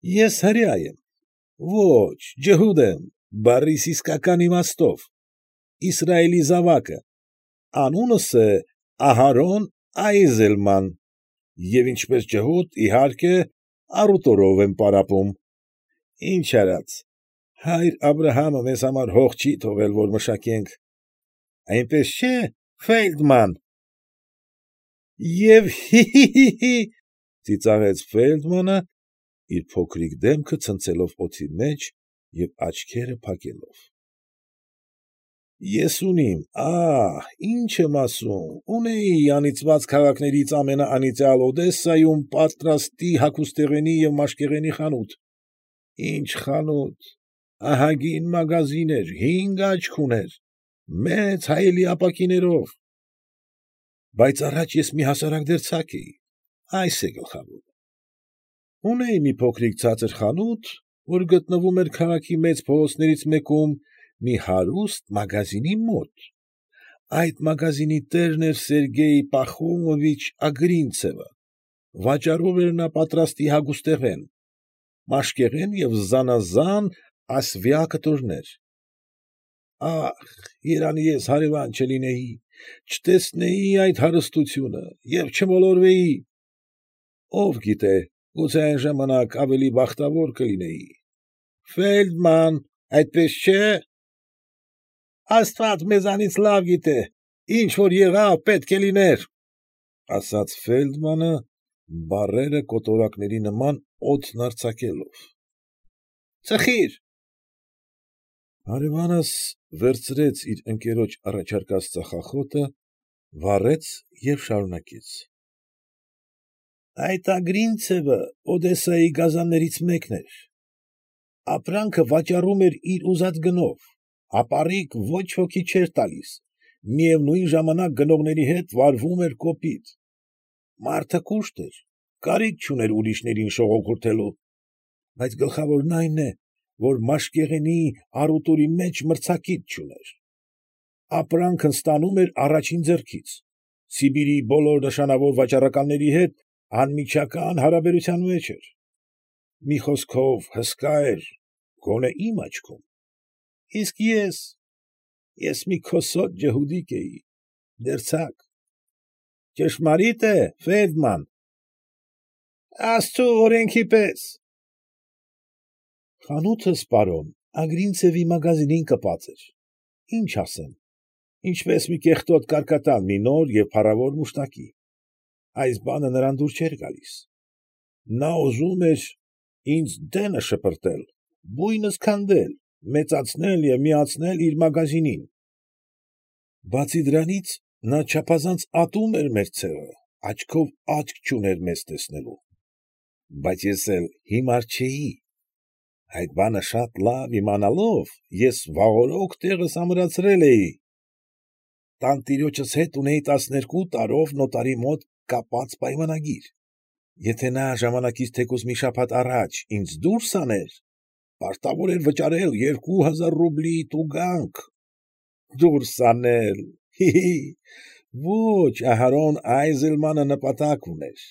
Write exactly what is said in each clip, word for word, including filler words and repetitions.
Ես հրեա եմ, ոչ, ջհուդ եմ բառիս իսկական իմաստով, Իսրայելի զավակը, անունս է Ահարոն Այզելման և ինչպես ջհուդ, իհարկե, առուտուրով եմ պարապում, ինչ արած, հայր Աբրահամը մեզ համար հող չի թողել, որ մշակենք, այնպես չէ, Ֆեյլդման։ ֊ Եվ հի՛֊հի՛֊հի՛, ծիծաղեց Ֆեյլդմանը, իր փոքրիկ դեմքը ցցելով օդի մեջ և աչքերը փակելով։ ֊ Ես ունիմ, ա՛հ, ինչ եմ ասում, ունեի անիծված քաղաքներից ամենաանիծյալ Օդեսայում պատրաստի հագուստեղենի և մաշկեղենի խանութ, ինչ խանութ, ահագին մագազին էր, հինգ աչք ուներ, մեծ հայելի ապակիներով, բայց առաջ ես մի հասարակ դերձակ էի, այս է գլխավորը. ունեի մի փոքրիկ ցածր խանութ, որ գտնվում էր քաղաքի մեծ փողոցներից մեկում մի հարուստ մագազինի մոտ, այդ մագազինի տերն էր Սերգեյ Պախոմովիչ Ագրինցևը, վաճառում էր նա պատրաստի հագուստեղեն, մաշկեղեն և զանազան ասվյա կտորներ, ա՛խ, երանի ես հարևան չլինեի, չտեսնեի այդ հարստությունը և չմոլորվեի, ով գիտե, գուցե այն ժամանակ ավելի բախտավոր կլինեի, Ֆեյլդման, այդպես չէ։ ֊ Աստված մեզանից լավ գիտե, ինչ որ եղավ, պետք է լիներ, ֊ ասաց Ֆեյլդմանը, բառերը կոտորակների նման օդն արձակելով։ ֊ Ծխի՛ր։ Հարևանս վերցրեց իր ընկերոջ առաջարկած ծխախոտը, վառեց և շարունակեց. ֊ Այդ Ագրինցևը Օդեսայի գազաններից մեկն էր, ապրանքը վաճառում էր իր ուզած գնով, ապառիկ ոչ ոքի չէր տալիս, միևնույն ժամանակ գնողների հետ վարվում էր կոպիտ, մարդը կուշտ էր, կարիք չուներ ուրիշներին շողոքորթելու, բայց գլխավորն այն է, որ մաշկեղենի առուտուրի մեջ մրցակից չուներ, ապրանքն ստանում էր առաջին ձեռքից, Սիբիրի բոլոր նշանավոր վաճառականների հետ անմիջական հարաբերության մեջ էր, մի խոսքով հսկա էր, գոնե իմ աչքում, իսկ ես, ես մի քոսոտ ջհուդիկ էի, դերձակ, ճշմարի՞տ է, Ֆեյլդման։ ֊ Աստծու օրենքի պես։ ֊ Խանութս, պարոն, Ագրինցևի մագազինին կպած էր, ինչ ասեմ, ինչպես մի կեղտոտ կարկատան մի նոր և փառավոր մուշտակի, այս բանը նրան դուր չէր գալիս, նա ուզում էր ինձ դենը շպրտել, բույնս քանդել, մեծացնել և միացնել իր մագազինին, բացի դրանից, նա չափազանց ատում էր մեր ցեղը, աչքով աչք չուներ մեզ տեսնելու, բայց ես էլ հիմար չէի, այդ բանը շատ լավ իմանալով, ես վաղօրոք տեղս ամրացրել էի, տանտիրոջս հետ ունեի տասներկու տարով նոտարի մոտ կապած պայմանագիր, եթե նա ժամանակից թեկուզ մի շաբաթ առաջ ինձ դուրս աներ, պարտավոր էր վճարել երկու հազար ռուբլի տուգանք, դուրս անել, հի՛֊հի՛, ոչ, Ահարոն Այզելմանը նպատակ ուներ,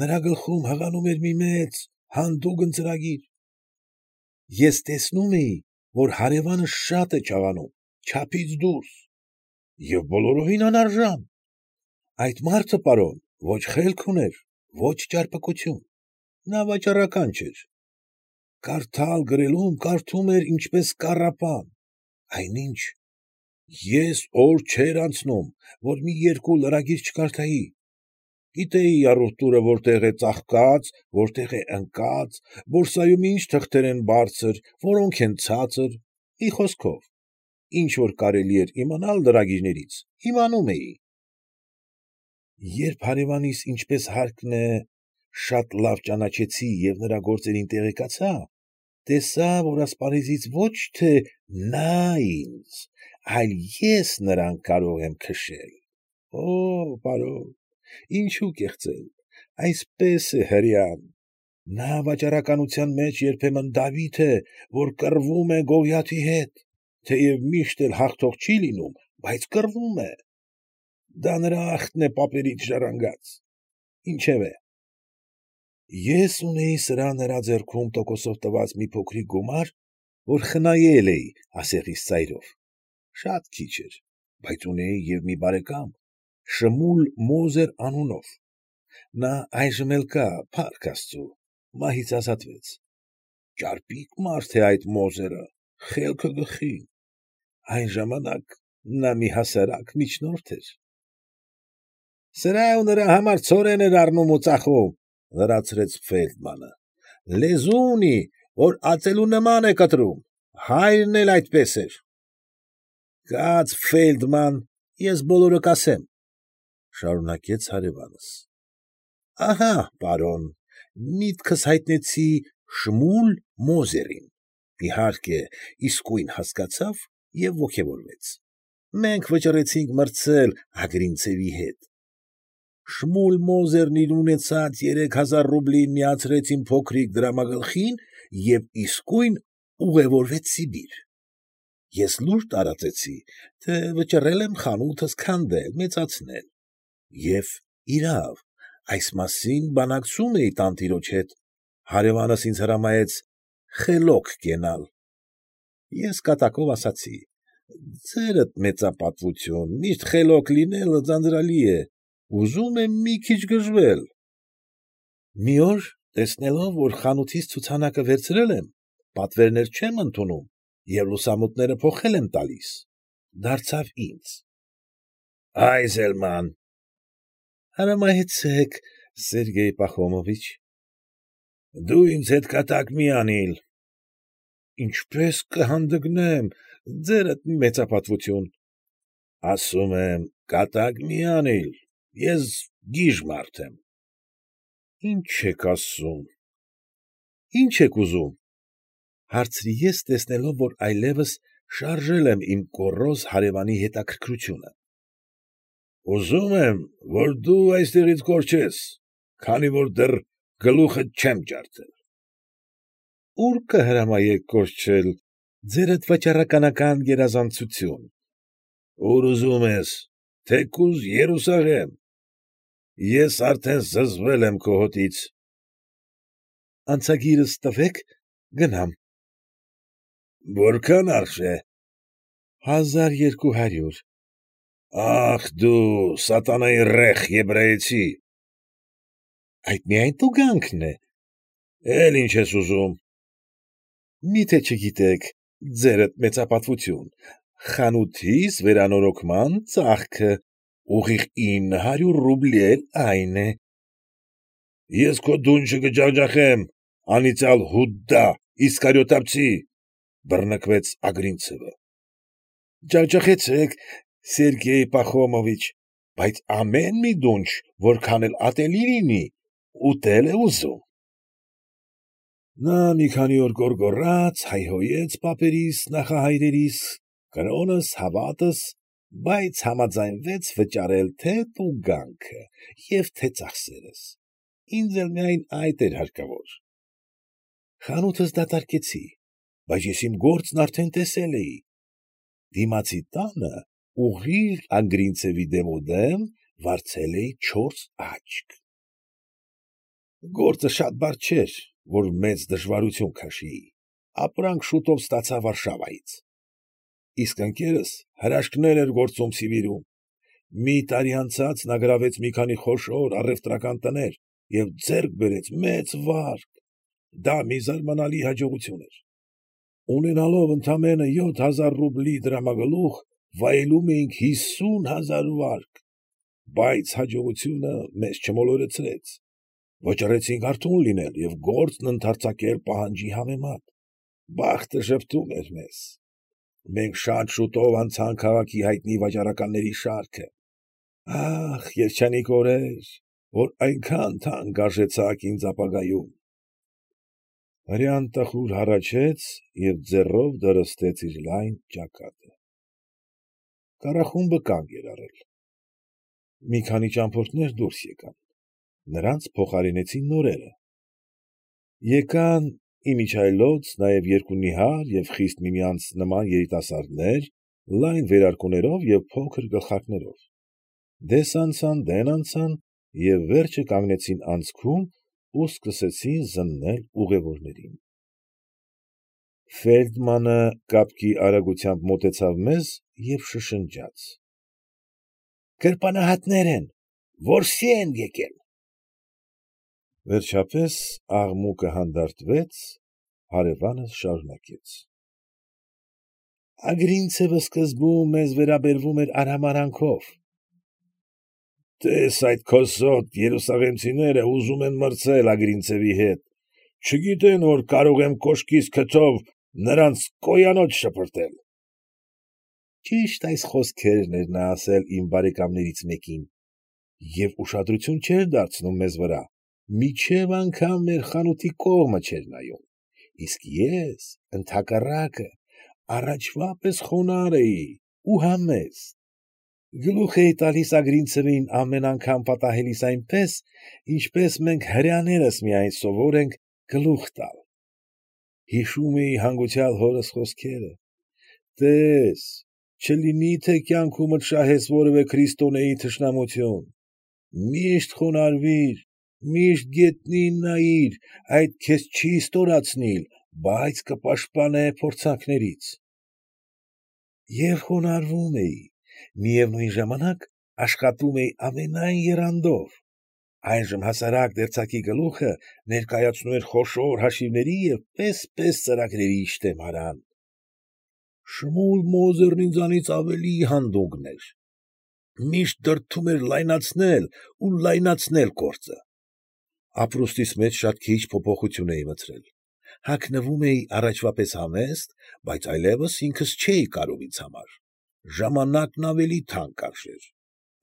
նրա գլխում հղանում էր մի մեծ, հանդուգն ծրագիր, ես տեսնում էի, որ հարևանս շատ է չաղանում, չափից դուրս և բոլորովին անարժան, այդ մարդը, պարոն, ոչ խելք ուներ, ոչ ճարպկություն, նա վաճառական չէր, կարդալ֊գրելուն կարդում էր ինչպես կառապան, այնինչ, ես օր չէր անցնում, որ մի երկու լրագիր չկարդայի, գիտեի առուտուրը որտեղ է ծաղկած, որտեղ է ընկած, բորսայում ինչ թղթեր են բարձր, որոնք են ցածր, մի խոսքով, ինչ որ կարելի էր իմանալ լրագիրներից, իմանում էի։ Երբ հարևանիս, ինչպես հարկն է, շատ լավ ճանաչեցի և նրա գործերին տեղեկացա, տեսա, որ ասպարեզից ոչ թե նա ինձ, այլ ես նրան կարող եմ քշել, օօ, պարոն, ինչու կեղծել, այսպես է հրեան, նա վաճառականության մեջ երբեմն Դավիթ է, որ կռվում է Գողիաթի հետ, թեև միշտ էլ հաղթող չի լինում, բայց կռվում է, դա նրա ախտն է պապերից ժառանգած, ինչևէ, Ես ունեի սրա նրա ձեռքում տոկոսով տված մի փոքրիկ գումար, որ խնայել էի ասեղիս ծայրով, շատ քիչ էր, բայց ունեի և մի բարեկամ Շմուլ Մոզեր անունով, նա այժմ էլ կա, փառք աստուծո, մահից ազատվեց, ճարպիկ մարդ է այդ Մոզերը, խելքը գլխի, այն ժամանակ նա մի հասարակ միջնորդ էր։ ֊ Սրա ու նրա համար ցորեն էր առնում ու ծախում,֊ լրացրեց Ֆեյլդմանը,֊ լեզու ունի, որ ածելու նման է կտրում, հայրն էլ այդպես էր։ ֊ Կաց, Ֆեյլդման, ես բոլորը կասեմ,֊ շարունակեց հարևանս,֊ ահա, պարոն, միտքս հայտնեցի Շմուլ Մոզերին, իհարկե, իսկույն հասկացավ և ոգևորվեց, մենք վճռեցինք մրցել Ագրինցևի հետ, Շմուլ Մոզերն իր ունեցած երեք հազար ռուբլին միացրեց իմ փոքրիկ դրամագլխին և իսկույն ուղևորվեց Սիբիր, ես լուր տարածեցի, թե վճռել եմ խանութս քանդել, մեծացնել, և, իրավ, այս մասին բանակցում էի տանտիրոջ հետ, հարևանս ինձ հրամայեց խելոք կենալ, ես կատակով ասացի. ձերդ մեծապատվություն, միշտ խելոք լինելը ձանձրալի է, ուզում եմ մի քիչ գժվել, մի օր, տեսնելով, որ խանութիս ցուցանակը վերցրել եմ, պատվերներ չեմ ընդունում և լուսամուտները փոխել եմ տալիս, դարձավ ինձ. ֊ Այզելման։ ֊ Հրամայեցեք, Սերգեյ Պախոմովիչ։ ֊ Դու ինձ հետ կատակ մի անիլ։ ֊ Ինչպե՞ս կհանդգնեմ, ձերդ մեծապատվություն։ ֊ Ասում եմ, կատակ մի անիլ, ես գիժ մարդ եմ։ ֊ Ի՞նչ եք ասում։ ֊ Ի՞նչ եք ուզում,֊ հարցրի ես, տեսնելով, որ այլևս շարժել եմ իմ գոռոզ հարևանի հետաքրքրությունը։ ֊ Ուզում եմ, որ դու այստեղից կորչես, քանի որ դեռ գլուխդ չեմ ջարդել։ ֊ Ո՞ւր կհրամայեք կորչել, ձերդ վաճառականական գերազանցություն։ ֊ Ուր ուզում ես, թեկուզ Երուսաղեմ, ես արդեն զզվել եմ քո հոտից։ ֊ Անցագիրս տվեք, գնամ։ ֊ Որքան արժե։ ֊ Հազար երկու հարյուր։ ֊ Ախ դու, սատանայի ռեխ եբրայեցի։ ֊ Այդ միայն տուգանքն է։ ֊ Էլ ի՞նչ ես ուզում։ ֊ Մի՞թե չգիտեք, ձերդ մեծապատվություն, խանութիս վերանորոգման ծախքը, ուղիղ ինը հարյուր ռուբլի էլ այն է։ ֊ Ես քո դունչը կջախջախեմ, անիծյալ Հուդա Իսկարիովտացի,֊ բռնկվեց Ագրինցևը։ ֊ Ջախջախեցեք, Սերգեյ Պախոմովիչ, բայց ամեն մի դունչ, որքան էլ ատելի լինի, ուտել է ուզում։ Նա մի քանի օր գոռգոռաց, հայհոյեց պապերիս, նախահայրերիս, կրոնս, հավատս, բայց համաձայնվեց վճարել թե տուգանքը և թե ծախսերս, ինձ էլ միայն այդ էր հարկավոր։ Խանութս դատարկեցի, բայց ես իմ գործն արդեն տեսել էի, դիմացի տանը, ուղիղ Ագրինցևի դեմոդեմ վարձել էի չորս աչք։ Գործը շատ բարդ չէր, որ մեծ դժվարություն քաշեի, ապրանք շուտով ստացա Վարշավայից, իսկ ընկերս հրաշքներ էր գործում Սիբիրում, մի տարի անցած նա գրավեց մի քանի խոշոր առևտրական տներ և ձեռք բերեց մեծ վարկ, դա մի զարմանալի հաջողություն էր, ունենալով ընդամենը յոթ հազար ռուբլի դրամագլուխ, վայելում էինք հիսուն հազար վարկ, բայց հաջողությունը մեզ չմոլորեցրեց, վճռեցինք արթուն լինել և գործն ընդարձակել պահանջի համեմատ, բախտը ժպտում էր մեզ, մենք շատ շուտով անցանք քաղաքի հայտնի վաճառականների շարքը, ա՜խ, երջանիկ օրեր, որ այնքան թանկ արժեցաք ինձ ապագայում։ Հրեան տխուր հառաչեց և ձեռով դրստեց իր լայն ճակատը։ Կառախումբը կանգ էր առել։ Մի քանի ճամփորդներ դուրս եկան, նրանց փոխարինեցին նորերը։ Եկան, իմիջիայլոց, նաև երկու նիհար և խիստ միմյանց նման երիտասարդներ, լայն վերարկուներով և փոքր գլխարկներով, դես անցան, դեն անցան և վերջը կանգնեցին անցքում, ու սկսեցին զննել ուղևորներին։ Ֆեյլդմանը կապկի արագությամբ մոտեցավ մեզ և շշնջաց. ֊ Գրպանահատներ են, որսի են եկել։ Վերջապես աղմուկը հանդարտվեց, հարևանս շարունակեց. ֊ Ագրինցևը սկզբում մեզ վերաբերվում էր արհամարհանքով. «Տե՛ս, այդ քոսոտ երուսաղեմցիները ուզում են մրցել Ագրինցևի հետ, չգիտեն, որ կարող եմ կոշկիս քթով նրանց կոյանոց շպրտել»։ Ճիշտ այս խոսքերն էր նա ասել իմ բարեկամներից մեկին և ուշադրություն չէր դարձնում մեզ վրա, մինչև անգամ մեր խանութի կողմը չէր նայում, իսկ ես, ընդհակառակը, առաջվա պես խոնարհ էի ու համեստ, գլուխ էի տալիս Ագրինցևին ամեն անգամ պատահելիս այնպես, ինչպես մենք հրեաներս միայն սովոր ենք գլուխ տալ։ Հիշում էի հանգուցյալ հորս խոսքերը. «Տե՛ս, չլինի թե կյանքումդ շահես որևէ քրիստոնեի թշնամություն, միշտ խոնարհվիր, միշտ գետնին նայիր, այդ քեզ չի ստորացնիլ, բայց կպաշտպանե փորձանքներից»։ Եվ խոնարհվում էի, միևնույն ժամանակ աշխատում էի ամենայն եռանդով, այժմ հասարակ դերձակի գլուխը ներկայացնում էր խոշոր հաշիվների և պես֊պես ծրագրերի շտեմարան։ Շմուլ Մոզերն ինձանից ավելի հանդուգն էր, միշտ դրդում էր լայնացնել ու լայնացնել գործը։ Ապրուստիս մեջ շատ քիչ փոփոխություն էի մտցրել, հագնվում էի առաջվա պես համեստ, բայց այլևս ինքս չէի կարող ինձ համար, ժամանակն ավելի թանկ արժեր,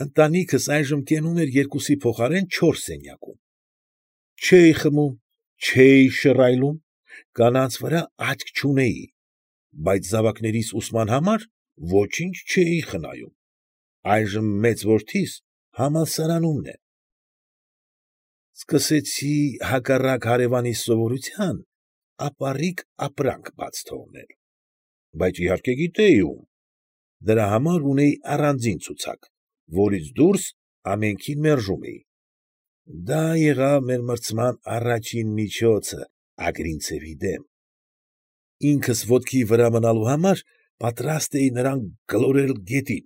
ընտանիքս այժմ կենում էր երկուսի փոխարեն չորս սենյակում։ Չէի խմում, չէի շռայլում, կանանց վրա աչք չունեի, բայց զավակներիս ուսման համար ոչինչ չէի խնայում, այժմ մեծ որդիս համալսարանումն է։ Սկսեցի հակառակ հարևանիս սովորության ապառիկ ապրանք բաց թողնել, բայց իհարկե գիտեի ում, դրա համար ունեի առանձին ցուցակ, որից դուրս ամենքին մերժում էի։ Դա եղավ մեր մրցման առաջին միջոցը Ագրինցևի դեմ։ Ինքս ոտքի վրա մնալու համար պատրաստ էի նրան գլորել գետին։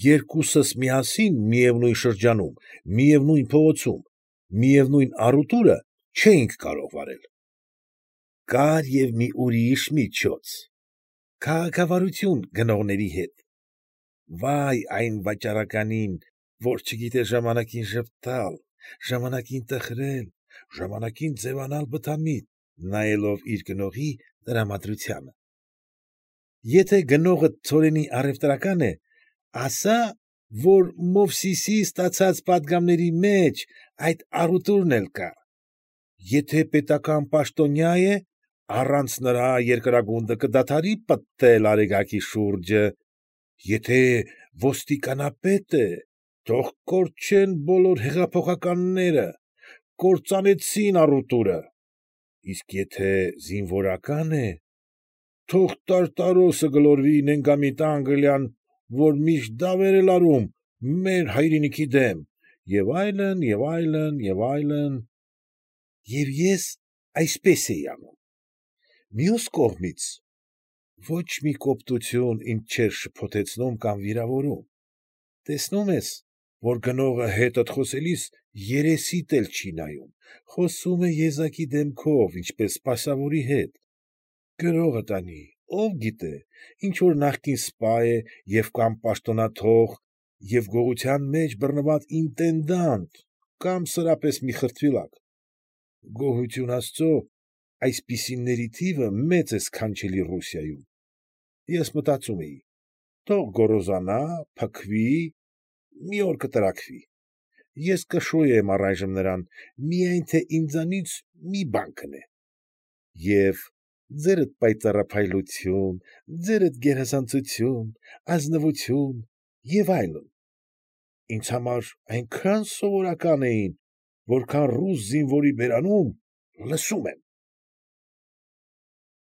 Երկուսս միասին միևնույն շրջանում, միևնույն փողոցում, միևնույն առուտուրը չէինք կարող վարել։ Կար և մի ուրիշ միջոց՝ քաղաքավարություն գնողների հետ։ Վա՛յ այն վաճառականին, որ չգիտեր ժամանակին ժպտալ, ժամանակին տխրել, ժամանակին ձևանալ բթամիտ, նայելով իր գնողի տրամադրությանը։ Եթե գնողդ ցորենի առևտրական է, ասա՛, որ Մովսիսի ստացած պատգամների մեջ այդ առուտուրն էլ կա, եթե պետական պաշտոնյա է, առանց նրա երկրագունդը կդադարի պտտվել արեգակի շուրջը, եթե ոստիկանապետ է, թող կորչեն բոլոր հեղափոխականները, կործանեցին առուտուրը, իսկ եթե զինվորական է, թող տարտարոսը գլորվի նենգամիտ Անգլիան, որ միշտ դավեր է լարում մեր հայրենիքի դեմ, և այլն, և այլն, և այլն… Եվ ես այսպես էի անում։ Մյուս կողմից, ոչ մի կոպտություն ինձ չէր շփոթեցնում կամ վիրավորում, տեսնում ես, որ գնողը հետդ խոսելիս երեսիդ էլ չի նայում, խոսում է եզակի դեմքով, ինչպես սպասավորի հետ, գրողը տանի, ով գիտե, ինչ֊որ նախկին սպա է և կամ պաշտոնաթող և գողության մեջ բռնված ինտենդանտ կամ սրապես մի խրտվիլակ։ Գոհություն աստծո, այսպիսիների թիվը մեծ է սքանչելի Ռուսիայում։ Ես մտածում էի. թող գոռոզանա, փքվի, մի օր կտրաքվի, ես կշոյեմ առայժմ նրան, միայն թե ինձանից մի բան գնե։ Եվ ձերդ պայծառափայլություն, ձերդ գերազանցություն, ազնվություն և այլն, ինձ համար այնքան սովորական էին, որքան ռուս զինվորի բերանում «լսում եմ»։